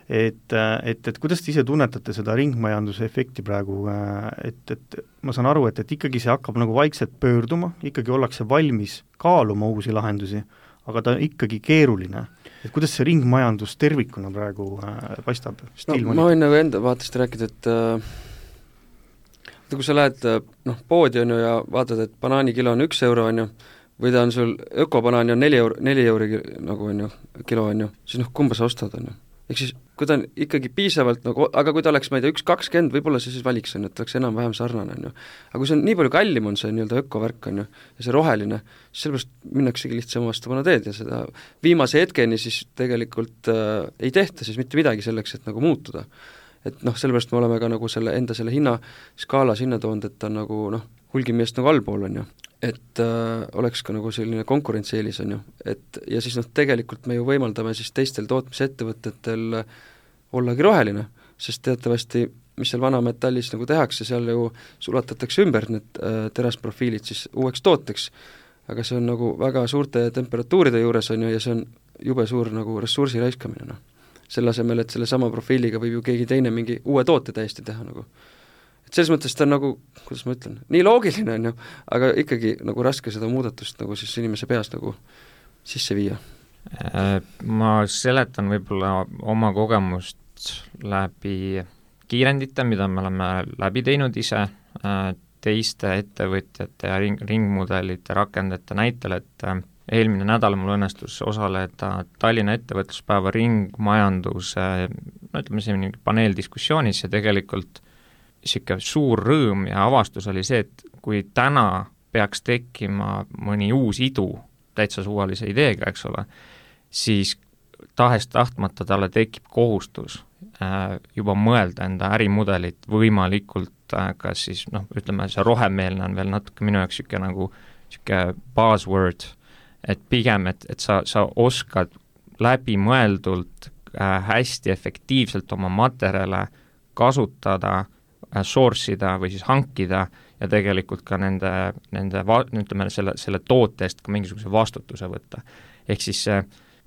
et kuidas te ise tunnetate seda ringmajanduse efekti praegu, et ma saan aru, et ikkagi see hakkab nagu vaikselt pöörduma, ikkagi ollakse valmis kaaluma uusi lahendusi, aga ta on ikkagi keeruline. Et kuidas see ringmajandus tervikuna praegu paistab? No, ma võin nagu enda vaatest rääkida, et kui sa lähed poodi on ju ja vaatad, et banaanikilo on 1 euro on ju, või ta on sul ökobanaani on 4 euri nagu on ju, kilo on ju, siis kumba sa ostad on ju. Ehk siis, kui ta on ikkagi piisavalt nagu, aga kui ta oleks, ma ei tea, 1,20, võib-olla see siis valiks on, et oleks enam-vähem sarnane on ju. Aga kui see on nii palju kallim on see nii-öelda ökovärk on ju, ja see roheline, siis sellepärast minnaksegi lihtsam vastupana teed ja seda viimase hetkeni siis tegelikult ei tehta siis mitte midagi selleks, et nagu muutuda. Et sellepärast me oleme ka nagu selle hinnaskaalas hinnatoond, et ta on nagu hulgimeest nagu allpool on ju, et oleks ka nagu selline konkurentsieelis on ju, et ja siis tegelikult me ju võimaldame siis teistel tootmisettevõtetel ollagi roheline, sest teatavasti, mis seal vanametallis nagu tehakse, seal ju sulatatakse ümber need terasprofiilid siis uueks tooteks, aga see on nagu väga suurte temperatuuride juures on ju, ja see on jube suur nagu ressursi raiskamine selle asemel, et selle sama profiiliga võib ju keegi teine mingi uue toote täiesti teha nagu. Et selles mõttes ta on nagu, kuidas ma ütlen, nii loogiline on ju, aga ikkagi nagu raske seda muudatust nagu siis inimese peas nagu sisse viia. Ma seletan võib-olla oma kogemust läbi kiirendite, mida me oleme läbi teinud ise teiste ettevõtjate ja ringmudelite rakendajate näitel, et eelmine nädal mul õnnestus osaleda Tallinna ettevõtluspäeva ringmajanduse, ütleme siin paneeldiskussioonis ja tegelikult niisugune suur rõõm ja avastus oli see, et kui täna peaks tekkima mõni uus idu täitsa suvalise ideega, eks ole, siis tahes-tahtmata talle tekib kohustus juba mõelda enda ärimudelit võimalikult, kas siis ütleme, see rohemeelne on veel natuke minu jaoks niisugune buzzword, et pigem, et sa oskad läbimõeldult hästi efektiivselt oma materjale kasutada, source ida või siis hankida ja tegelikult ka nende ütleme, selle toote eest ka mingisuguse vastutuse võtta. Ehk siis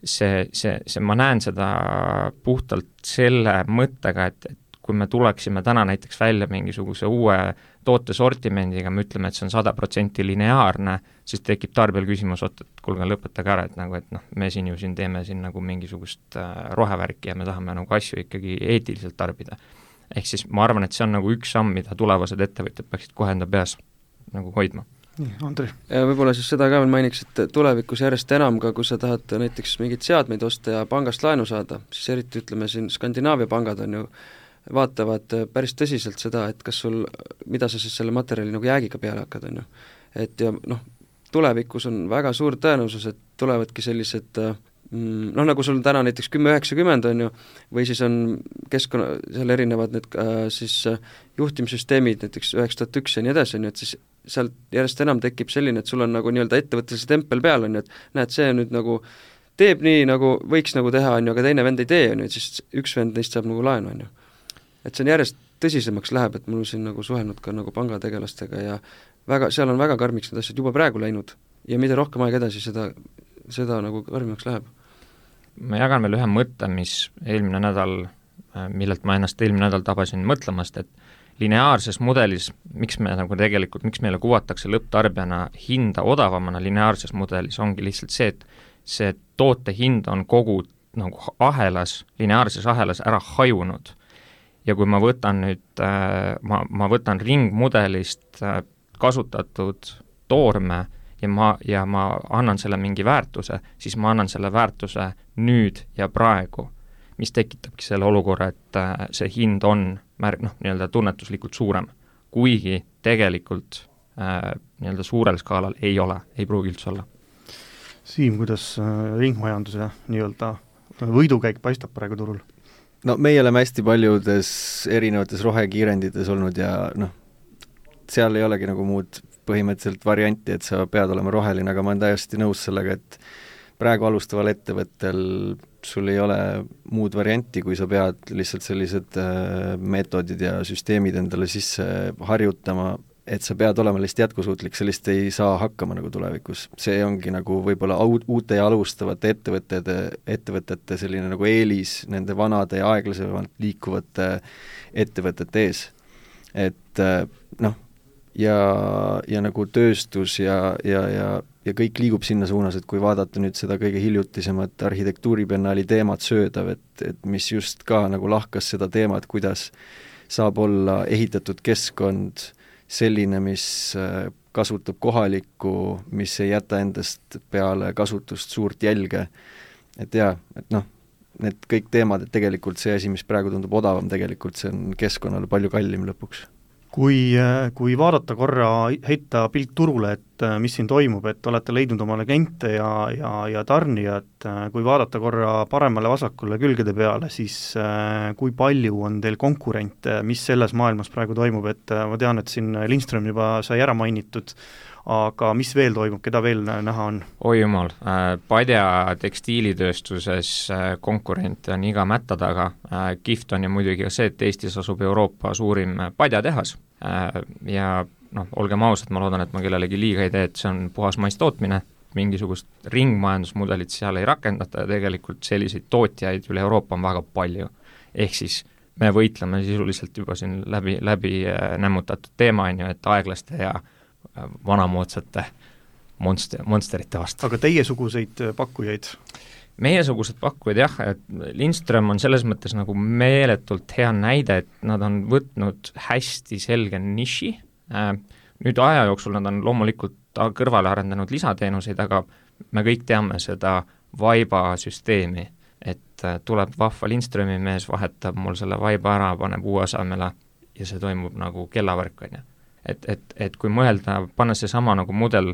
see ma näen seda puhtalt selle mõttega, et kui me tuleksime täna näiteks välja mingisuguse uue toote sortimendiga, me ütleme, et see on 100% lineaarne, siis tekib tarbijal küsimus, et kuulge, lõpetage ära, et me siin teeme nagu mingisugust rohevärki ja me tahame nagu asju ikkagi eetiliselt tarbida. Ehk siis ma arvan, et see on nagu üks samm, mida tulevased ettevõtjad peaksid kohe enda peas nagu hoidma. Andrei? Ja võib-olla siis seda ka veel mainiks, et tulevikus järjest enam ka, kui sa tahad näiteks mingit seadmeid osta ja pangast laenu saada, siis eriti ütleme siin Skandinaavia pangad on ju vaatavad päris tõsiselt seda, et kas sul, mida sa siis selle materjali nagu jäägiga peale hakkad, on ju. Et ja tulevikus on väga suur tõenäosus, et tulevadki sellised nagu sul on täna näiteks 1090 on ju, või siis on keskkonna, seal erinevad need siis juhtimissüsteemid, näiteks 9001 ja nii edasi, on ju, et siis sealt järjest enam tekib selline, et sul on nagu nii-öelda ettevõttelise tempel peal, on ju, et näed, see nüüd nagu teeb nii, nagu võiks nagu teha, on ju, aga teine vend ei tee, on ju, et siis üks vend neist saab nagu laenu, on ju. Et see on järjest tõsisemaks läheb, et mul on siin nagu suhelnud ka nagu pangategelastega ja väga, seal on väga karmiks need asjad juba praegu läinud ja mida rohkem aeg edasi, seda nagu karmimaks läheb. Ma jagan veel ühe mõtte, mis eelmine nädal, millelt ma ennast eelmine nädal tabasin mõtlemast, et lineaarses mudelis, miks meile kuvatakse lõpptarbijana hinda odavamana lineaarses mudelis, ongi lihtsalt see, et see toote hind on kogu nagu ahelas, lineaarses ahelas ära hajunud. Ja kui ma võtan nüüd, ma võtan ringmudelist kasutatud toorme ja ma annan selle mingi väärtuse, siis ma annan selle väärtuse nüüd ja praegu, mis tekitabki selle olukorra, et see hind on nii-öelda tunnetuslikult suurem, kuigi tegelikult nii-öelda suurel skaalal ei ole, ei pruugi üldse olla. Siim, kuidas ringmajanduse nii-öelda võidukäik paistab praegu turul? No meie oleme hästi paljudes erinevates rohekiirendites olnud ja seal ei olegi nagu muud põhimõtteliselt varianti, et sa pead olema roheline, aga ma olen täiesti nõus sellega, et praegu alustaval ettevõttel sul ei ole muud varianti, kui sa pead lihtsalt sellised meetodid ja süsteemid endale sisse harjutama, et sa pead olema lihtsalt jätkusuutlik, sellist ei saa hakkama nagu tulevikus. See ongi nagu võib-olla uute ja alustavate ettevõtete selline nagu eelis nende vanade ja aeglasemalt liikuvate ettevõtete ees. Et ja nagu tööstus ja kõik liigub sinna suunas, et kui vaadata nüüd seda kõige hiljutisemat arhitektuuribiennaali teemat Söödav, et mis just ka nagu lahkas seda teemat, kuidas saab olla ehitatud keskkond selline, mis kasutab kohalikku, mis ei jäta endast peale kasutust suurt jälge. Et need kõik teemad, et tegelikult see asi, mis praegu tundub odavam, tegelikult see on keskkonnale palju kallim lõpuks. Kui vaadata korra, heita pilk turule, et mis siin toimub, et olete leidnud omale kliente ja tarnijad, kui vaadata korra paremale-vasakule külgede peale, siis kui palju on teil konkurente, mis selles maailmas praegu toimub, et ma tean, et siin Lindström juba sai ära mainitud, aga mis veel toimub, keda veel näha on? Oi jumal, Padja tekstiilitööstuses konkurente on iga mätta taga. Kihvt on ju muidugi ka see, et Eestis asub Euroopa suurim padjatehas ja olgem ausad, ma loodan, et ma kellelegi liiga ei tee, et see on puhas maistootmine, mingisugust ringmajandusmudelit seal ei rakendata ja tegelikult selliseid tootjaid üle Euroopa on väga palju. Ehk siis me võitleme sisuliselt juba siin läbi nämmutatud teema, et aeglaste ja vanamoodsate monsterite vastu. Aga teiesuguseid pakkujaid? Meiesugused pakkujad jah, et Lindström on selles mõttes nagu meeletult hea näide, et nad on võtnud hästi selge niši, nüüd aja jooksul nad on loomulikult kõrvale arendanud lisateenuseid, aga me kõik teame seda vaiba süsteemi, et tuleb vahva Lindströmi mees, vahetab mul selle vaiba ära, paneb uue asemele ja see toimub nagu kellavärk, on ju. Et kui mõelda, panna see sama nagu mudel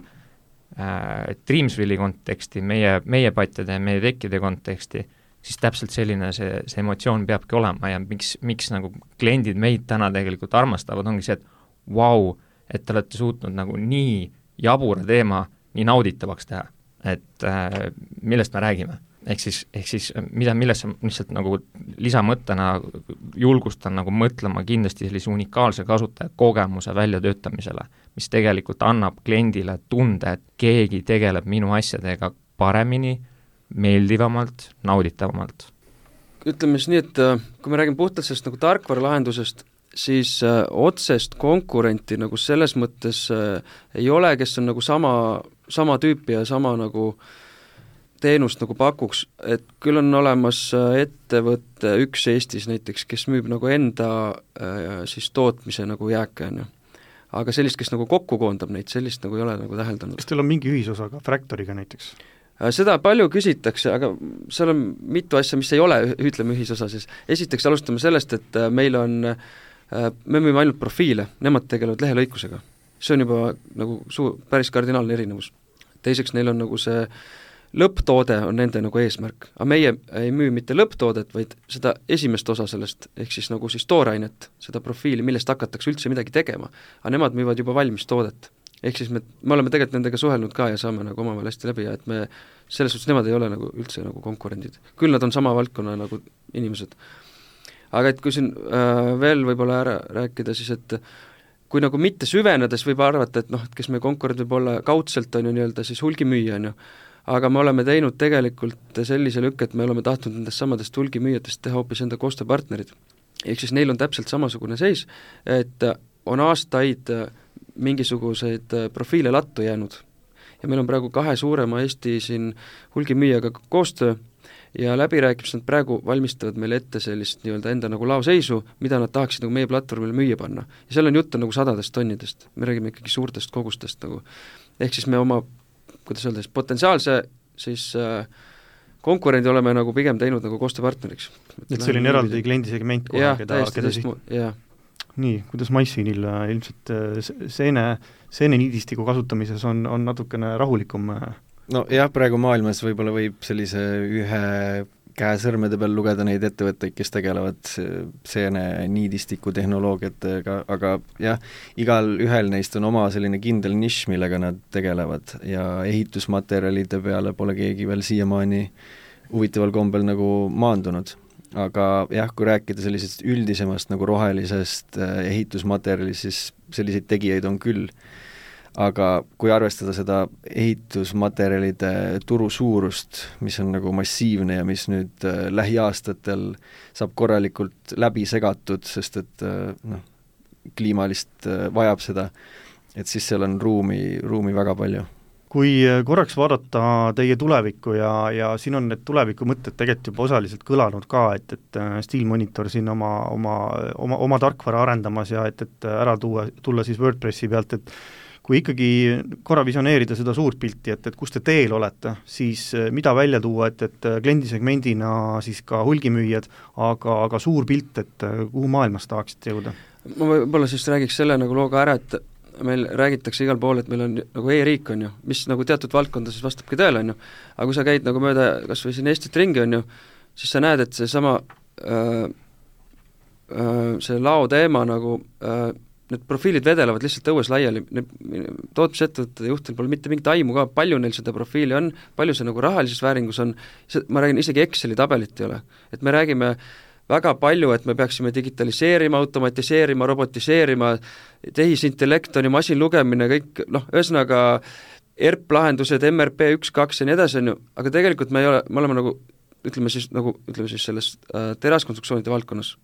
Dreamsville'i konteksti, meie patjade ja meie tekkide konteksti, siis täpselt selline see emotsioon peabki olema ja miks nagu kliendid meid täna tegelikult armastavad, ongi see, et vau, et te olete suutnud nagu nii jabura teema nii nauditavaks teha, et millest me räägime. Ehk siis millesse lihtsalt nagu lisamõttena julgustan nagu mõtlema kindlasti sellise unikaalse kasutaja kogemuse väljatöötamisele, mis tegelikult annab kliendile tunde, et keegi tegeleb minu asjadega paremini, meeldivamalt, nauditavamalt. Ütleme siis nii, et kui me räägime puhtalt sellest nagu tarkvaralahendusest, siis otsest konkurenti nagu selles mõttes ei ole, kes on nagu sama tüüpi ja sama nagu teenust nagu pakuks, et küll on olemas ettevõtte üks Eestis näiteks, kes müüb nagu enda siis tootmise nagu jääke, on ju. Aga sellist, kes nagu kokku koondab neid, sellist nagu ei ole nagu täheldanud. Kas teil on mingi ühisosa ka Fractoriga näiteks? Seda palju küsitakse, aga seal on mitu asja, mis ei ole, ütleme ühisosa siis. Esiteks alustame sellest, et meil on, me müüme ainult profiile, nemad tegelevad lehelõikusega. See on juba nagu päris kardinaalne erinevus. Teiseks neil on nagu see lõpptoode on nende nagu eesmärk, aga meie ei müü mitte lõpptoodet, vaid seda esimest osa sellest, ehk siis nagu siis toorainet, seda profiili, millest hakatakse üldse midagi tegema, aga nemad müüvad juba valmis toodet. Ehk siis me oleme tegelikult nendega suhelnud ka ja saame nagu omavahel hästi läbi ja et me selles suhtes nemad ei ole nagu üldse nagu konkurendid. Küll nad on sama valdkonna nagu inimesed. Aga et kui siin veel võib-olla ära rääkida, siis et kui nagu mitte süvenedes võib arvata, et et kes meie konkurent võib olla kaudselt on ju nii-öelda siis hulgimüüja on ju, aga me oleme teinud tegelikult sellise lükke, et me oleme tahtnud nendest samadest hulgimüüjatest teha hoopis enda koostööpartnerid. Ehk siis neil on täpselt samasugune seis, et on aastaid mingisuguseid profiile lattu jäänud. Ja meil on praegu 2 suurema Eesti siin hulgimüüjaga koostöö ja läbirääkimised nad praegu valmistavad meile ette sellist nii-öelda enda nagu laoseisu, mida nad tahaksid nagu meie platvormile müüa panna. Ja seal on juttu nagu 100 tonnidest, me räägime ikkagi suurtest kogustest nagu. Ehk siis me oma kuidas öelda, potentsiaalse siis konkurendi oleme nagu pigem teinud nagu koostööpartneriks. Et selline eraldi kliendisegment kohe, keda Nii, kuidas Maissinil ilmselt seene niidistiku kasutamises on natukene rahulikum? No jah, praegu maailmas võib-olla võib sellise ühe käe sõrmede peal lugeda neid ettevõtteid, kes tegelevad seene niidistiku tehnoloogiatega, aga jah, igal ühel neist on oma selline kindel nišš, millega nad tegelevad ja ehitusmaterjalide peale pole keegi veel siiamaani huvitaval kombel nagu maandunud. aga jah, kui rääkida sellisest üldisemast nagu rohelisest ehitusmaterjalist, siis selliseid tegijaid on küll. Aga kui arvestada seda ehitusmaterjalide turu suurust, mis on nagu massiivne ja mis nüüd lähiaastatel saab korralikult läbi segatud, sest et kliimalist vajab seda, et siis seal on ruumi väga palju. Kui korraks vaadata teie tulevikku ja siin on need tulevikumõtted tegelikult juba osaliselt kõlanud ka, et Steel Monitor siin oma tarkvara arendamas ja et ära tulla siis WordPressi pealt, et kui ikkagi korra visioneerida seda suurt pilti, et kus te teel olete, siis mida välja tuua, et kliendisegmendina siis ka hulgimüüjad, aga suur pilt, et kuhu maailmas tahaksite jõuda? Ma võib-olla siis räägiks selle nagu looga ära, et meil räägitakse igal pool, et meil on nagu e-riik, on ju, mis nagu teatud valdkonda siis vastabki tõele, on ju, aga kui sa käid nagu mööda kas või siin Eestit ringi, on ju, siis sa näed, et seesama see lao teema nagu need profiilid vedelevad lihtsalt õues laiali, tootmisettevõtete juhtel pole mitte mingit aimu ka, palju neil seda profiili on, palju see nagu rahalises vääringus on, ma räägin, isegi Exceli tabelit ei ole, et me räägime väga palju, et me peaksime digitaliseerima, automatiseerima, robotiseerima, tehisintellekt on ju, masinlugemine, kõik, ühesõnaga ERP-lahendused, MRP 1-2 ja nii edasi, on ju, aga tegelikult me oleme nagu, ütleme siis selles teraskonstruktsioonide valdkonnas,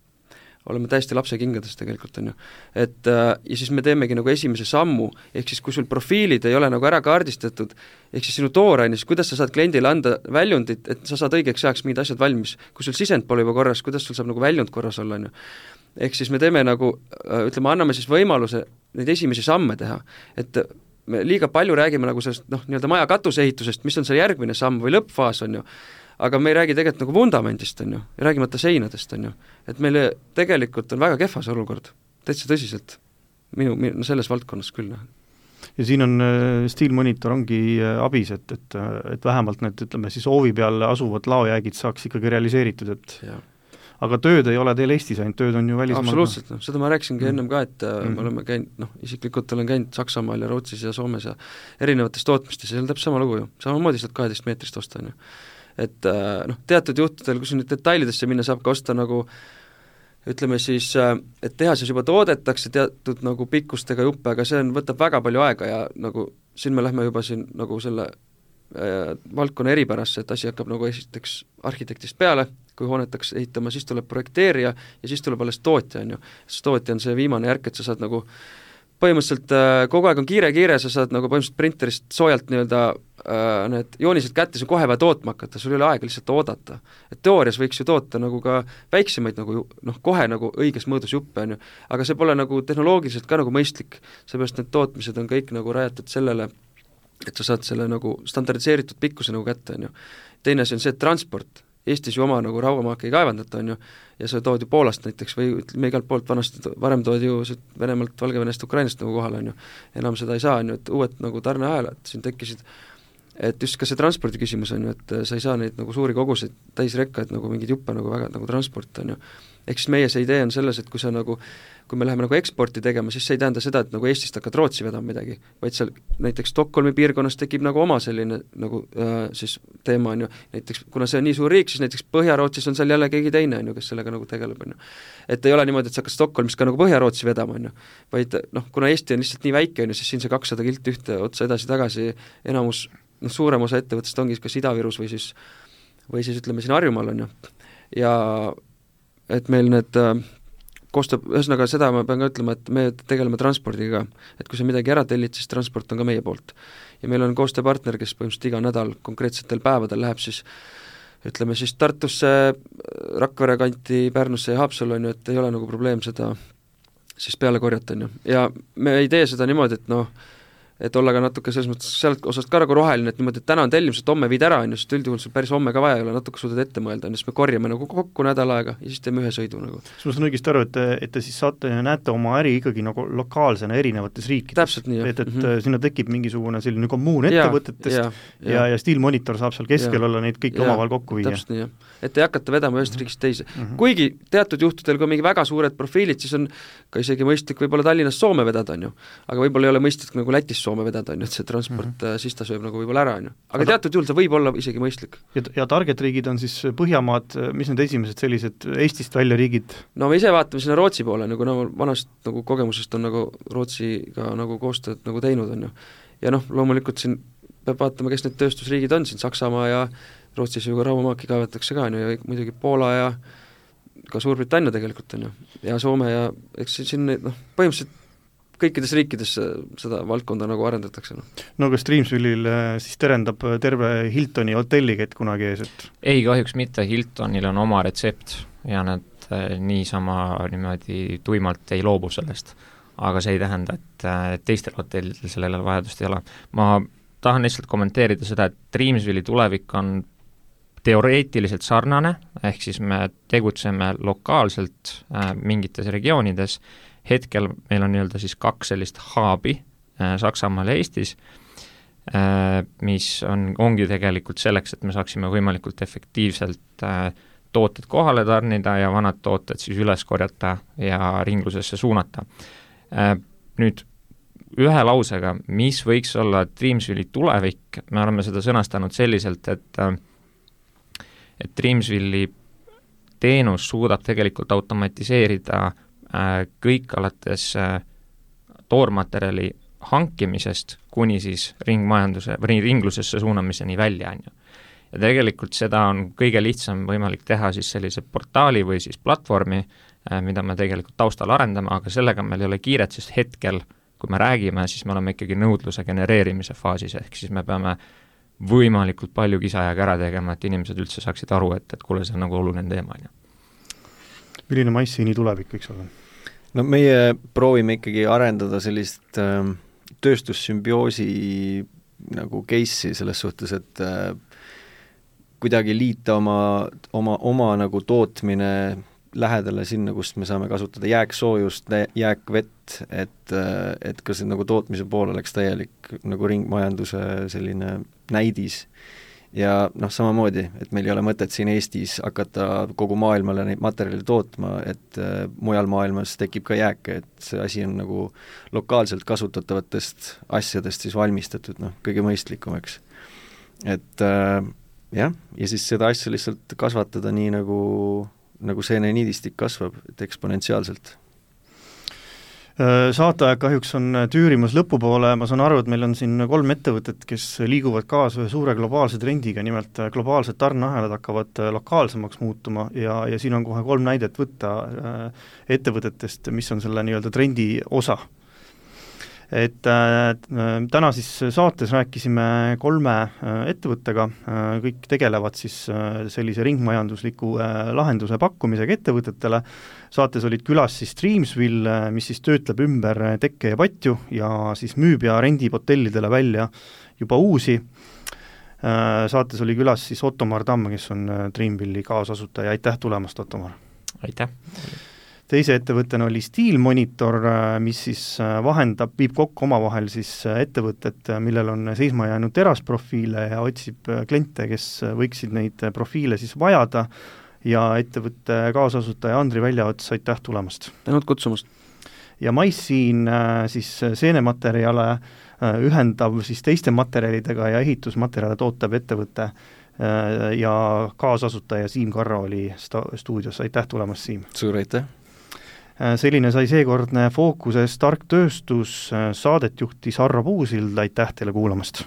oleme täiesti lapsekingades tegelikult, on ju. Et ja siis me teemegi nagu esimese sammu, ehk siis kui sul profiilid ei ole nagu ära kaardistatud, ehk siis sinu tooraine, siis kuidas sa saad kliendile anda väljundit, et sa saad õigeks ajaks mingid asjad valmis. Kui sul sisend pole juba korras, kuidas sul saab nagu väljund korras olla, on ju. Ehk siis me teeme nagu, ütleme, anname siis võimaluse neid esimesi samme teha, et me liiga palju räägime nagu sellest, nii-öelda maja katuseehitusest, mis on see järgmine samm või lõppfaas, on ju, aga me ei räägi tegelikult nagu vundamendist, on ju, ja räägimata seinadest, on ju. Et meil tegelikult on väga kehva see olukord, täitsa tõsiselt, minu selles valdkonnas küll. Ja siin on Steel Monitor ongi abis, et vähemalt need, ütleme siis hoovi peal asuvad laojäägid saaks ikkagi realiseeritud, et ja. Aga tööd ei ole teil Eestis ainult, tööd on ju välismaal. Absoluutselt, seda ma rääkisingi ennem ka, et me oleme käinud, isiklikult olen käinud Saksamaal ja Rootsis ja Soomes ja erinevates tootmistes, ja see on täpselt sama lugu ju, samamoodi saad 12 meetrist osta, on ju. Et teatud juhtudel, kui nüüd detailidesse minna, saab ka osta nagu ütleme siis, et tehases juba toodetakse teatud nagu pikkustega juppe, aga see võtab väga palju aega ja nagu siin me lähme juba siin nagu selle valdkonna eripärasse, et asi hakkab nagu esiteks arhitektist peale, kui hoonetaks ehitama, siis tuleb projekteerija ja siis tuleb alles tootja, on ju. Sest tootja on see viimane järk, et sa saad nagu põhimõtteliselt kogu aeg on kiire, sa saad nagu põhimõtteliselt printerist soojalt nii-öelda need joonised kätte, see kohe vaja tootma hakata, sul ei ole aega lihtsalt oodata. Et teoorias võiks ju toota nagu ka väiksemaid nagu, kohe nagu õiges mõõdus juppe, on ju, aga see pole nagu tehnoloogiliselt ka nagu mõistlik, seepärast need tootmised on kõik nagu rajatud sellele, et sa saad selle nagu standardiseeritud pikkuse nagu kätte, on ju. Teine asi on see, et transport, Eestis ju oma nagu rauamaake ei kaevandata, on ju, ja sa tood ju Poolast näiteks või me igalt poolt varem tood ju Venemaalt, Valgevenest, Ukrainast nagu kohale, on ju, enam seda ei saa, on ju, et uued nagu tarneahelad siin tekkisid, et just ka see transpordi küsimus on ju, et sa ei saa neid nagu suuri koguseid täisrekka, et nagu mingid juppe nagu väga nagu transport on ju, ehk siis meie see idee on selles, et kui sa nagu, kui me läheme nagu eksporti tegema, siis see ei tähenda seda, et nagu Eestist hakkad Rootsi vedama midagi, vaid seal näiteks Stockholmi piirkonnas tekib nagu oma selline nagu siis teema on ju, näiteks kuna see on nii suur riik, siis näiteks Põhja-Rootsis on seal jälle keegi teine on ju, kes sellega nagu tegeleb on ju. Et ei ole niimoodi, et sa hakkad Stockholmis ka nagu Põhja-Rootsi vedama on ju, vaid kuna Eesti on lihtsalt nii väike on ju, siis siin see 200 kilti ühte otsa edasi-tagasi enamus, suurem osa ettevõttest ongi kas Ida-Virus või siis ütleme siin Harjumaal on ju, ja et meil need koostab, ühesõnaga seda ma pean ka ütlema, et me tegeleme transpordiga, et kui sa midagi ära tellid, siis transport on ka meie poolt. Ja meil on koostööpartner, kes põhimõtteliselt iga nädal konkreetsetel päevadel läheb siis ütleme siis Tartusse, Rakvere kanti, Pärnusse ja Haapsallu on ju, et ei ole nagu probleem seda siis peale korjata on ju. Ja me ei tee seda niimoodi, et et olla ka natuke selles mõttes sealt osast ka nagu roheline, et niimoodi, et täna on tellimused, homme viid ära, on ju, sest üldjuhul sul päris homme ka vaja ei ole, natuke suudad ette mõelda, on ju, siis me korjame nagu kokku nädal aega ja siis teeme ühe sõidu nagu. Siis ma saan õigesti aru, et te siis saate ja näete oma äri ikkagi nagu lokaalsena erinevates riikides. Täpselt nii, jah. Et sinna tekib mingisugune selline kommuun ettevõtetest ja Steel Monitor saab seal keskel olla neid kõiki omavahel kokku viia. Täpselt nii, jah. Et ei hakata vedama ühest riigist teise. Kuigi teatud juhtudel, kui mingi väga suured profiilid, siis on ka isegi mõistlik võib-olla Tallinnast Soome vedada, on ju. Aga võib-olla ei ole mõistlik nagu Lätist Soome vedada, on ju, et see transport siis ta sööb nagu võib-olla ära, on ju. Aga teatud juhul see võib olla isegi mõistlik. Ja target riigid on siis Põhjamaad, mis need esimesed sellised Eestist välja riigid? No me ise vaatame sinna Rootsi poole, nagu vanast nagu kogemusest on nagu Rootsiga nagu koostööd nagu teinud, on ju. Ja loomulikult siin peab vaatama, kes need tööstusriigid on siin, Saksamaa ja Rootsis ju rauamaaki kaevatakse ka, on ju, ja muidugi Poola ja ka Suurbritannia tegelikult, on ju, ja Soome ja eks siin põhimõtteliselt kõikides riikides seda valdkonda nagu arendatakse. No kas Dreamsville'il siis terendab terve Hiltoni hotellikett kunagi ees, et? Ei, kahjuks mitte, Hiltonil on oma retsept ja nad niisama niimoodi tuimalt ei loobu sellest. Aga see ei tähenda, et teistel hotellidel sellele vajadust ei ole. Ma tahan lihtsalt kommenteerida seda, et Dreamsville'i tulevik on teoreetiliselt sarnane, ehk siis me tegutseme lokaalselt mingites regioonides. Hetkel meil on nii-öelda siis 2 sellist haabi Saksamaal ja Eestis, mis ongi tegelikult selleks, et me saaksime võimalikult efektiivselt tooted kohale tarnida ja vanad tooted siis üles korjata ja ringlusesse suunata. Nüüd ühe lausega, mis võiks olla Dreamsville'i tulevik, me oleme seda sõnastanud selliselt, et Dreamsville'i teenus suudab tegelikult automatiseerida kõik alates toormaterjali hankimisest kuni siis ringmajanduse või ringlusesse suunamiseni välja, on ju. Ja tegelikult seda on kõige lihtsam võimalik teha siis sellise portaali või siis platvormi, mida me tegelikult taustal arendame, aga sellega meil ei ole kiiret, sest hetkel, kui me räägime, siis me oleme ikkagi nõudluse genereerimise faasis, ehk siis me peame võimalikult palju kisajaga ära tegema, et inimesed üldse saaksid aru, et kuule, see on nagu oluline teema, on ju. Milline MyScene'i tulevik võiks olla? No meie proovime ikkagi arendada sellist tööstussümbioosi nagu case'i selles suhtes, et kuidagi liita oma nagu tootmine lähedale sinna, kust me saame kasutada jääksoojust, jääkvett, et ka see nagu tootmise pool oleks täielik nagu ringmajanduse selline näidis. Ja samamoodi, et meil ei ole mõtet siin Eestis hakata kogu maailmale neid materjali tootma, et mujal maailmas tekib ka jääke, et see asi on nagu lokaalselt kasutatavatest asjadest siis valmistatud, kõige mõistlikum, eks. Et ja siis seda asja lihtsalt kasvatada nii nagu seeneniidistik kasvab, et eksponentsiaalselt. Saateaeg kahjuks on tüürimas lõpupoole, ma saan aru, et meil on siin 3 ettevõtet, kes liiguvad kaasa ühe suure globaalse trendiga, nimelt globaalsed tarneahelad hakkavad lokaalsemaks muutuma ja siin on kohe 3 näidet võtta ettevõtetest, mis on selle nii-öelda trendi osa. Et täna siis saates rääkisime 3 ettevõttega, kõik tegelevad siis sellise ringmajandusliku lahenduse pakkumisega ettevõtetele. Saates olid külas siis Dreamsville, mis siis töötleb ümber tekke ja patju ja siis müüb ja rendib hotellidele välja juba uusi. Saates oli külas siis Ottomar Tamm, kes on Dreamsville'i kaasasutaja. Aitäh tulemast, Ottomar! Aitäh! Teise ettevõttena oli Steel Monitor, mis siis viib kokku omavahel siis ettevõtted, millel on seisma jäänud terasprofiile ja otsib kliente, kes võiksid neid profiile siis vajada ja ettevõtte kaasasutaja Andri Väljaots, aitäh tulemast! Tänud kutsumast! Ja MyScene siis seenematerjale ühendav siis teiste materjalidega ja ehitusmaterjale tootav ettevõte ja kaasasutaja Siim Karro oli stuudios, aitäh tulemast, Siim! Suur aitäh! Selline sai seekordne Fookuses tark tööstus, saadet juhtis Harro Puusild, aitäh teile kuulamast!